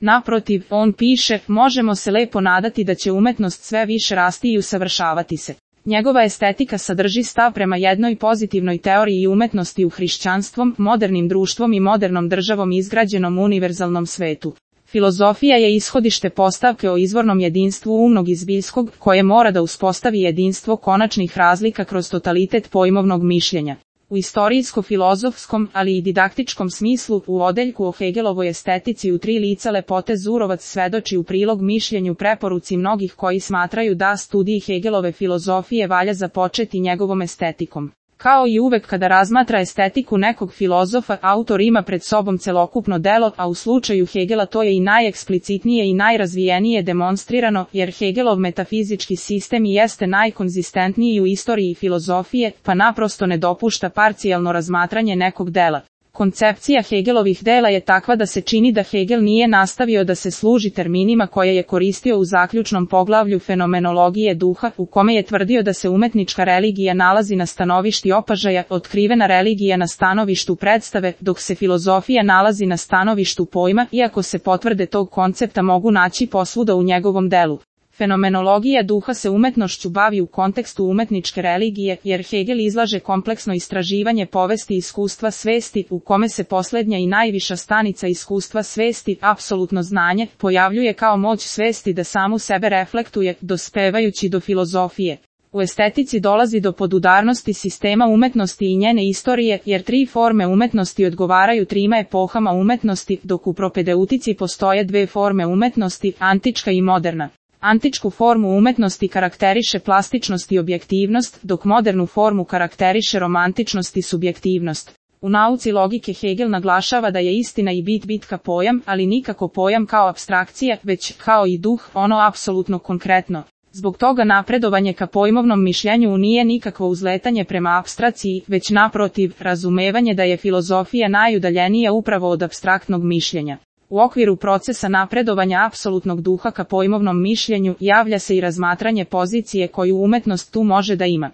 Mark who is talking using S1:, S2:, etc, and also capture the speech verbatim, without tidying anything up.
S1: Naprotiv, on piše, možemo se lepo nadati da će umetnost sve više rasti i usavršavati se. Njegova estetika sadrži stav prema jednoj pozitivnoj teoriji umetnosti u hrišćanstvom, modernim društvom i modernom državom izgrađenom univerzalnom svetu. Filozofija je ishodište postavke o izvornom jedinstvu umnog i zbiljskog, koje mora da uspostavi jedinstvo konačnih razlika kroz totalitet pojmovnog mišljenja. U istorijsko-filozofskom, ali i didaktičkom smislu, u odeljku o Hegelovoj estetici u tri lica lepote Zurovac svedoči u prilog mišljenju preporuci mnogih koji smatraju da studiji Hegelove filozofije valja započeti njegovom estetikom. Kao i uvek kada razmatra estetiku nekog filozofa, autor ima pred sobom celokupno delo, a u slučaju Hegela to je i najeksplicitnije i najrazvijenije demonstrirano, jer Hegelov metafizički sistem i jeste najkonzistentniji u istoriji filozofije, pa naprosto ne dopušta parcijalno razmatranje nekog dela. Koncepcija Hegelovih dela je takva da se čini da Hegel nije nastavio da se služi terminima koje je koristio u zaključnom poglavlju fenomenologije duha, u kome je tvrdio da se umetnička religija nalazi na stanovišti opažaja, otkrivena religija na stanovištu predstave, dok se filozofija nalazi na stanovištu pojma, iako se potvrde tog koncepta mogu naći posvuda u njegovom delu. Fenomenologija duha se umetnošću bavi u kontekstu umetničke religije, jer Hegel izlaže kompleksno istraživanje povesti iskustva svesti, u kome se poslednja i najviša stanica iskustva svesti, apsolutno znanje, pojavljuje kao moć svesti da samu sebe reflektuje, dospevajući do filozofije. U estetici dolazi do podudarnosti sistema umetnosti i njene istorije, jer tri forme umetnosti odgovaraju trima epohama umetnosti, dok u propedeutici postoje dve forme umetnosti, antička i moderna. Antičku formu umetnosti karakteriše plastičnost i objektivnost, dok modernu formu karakteriše romantičnost i subjektivnost. U nauci logike Hegel naglašava da je istina i bit bitka pojam, ali nikako pojam kao apstrakcija, već kao i duh, ono apsolutno konkretno. Zbog toga napredovanje ka pojmovnom mišljenju nije nikakvo uzletanje prema apstraciji, već naprotiv, razumevanje da je filozofija najudaljenija upravo od apstraktnog mišljenja. U okviru procesa napredovanja apsolutnog duha ka pojmovnom mišljenju javlja se i razmatranje pozicije koju umetnost tu može da ima.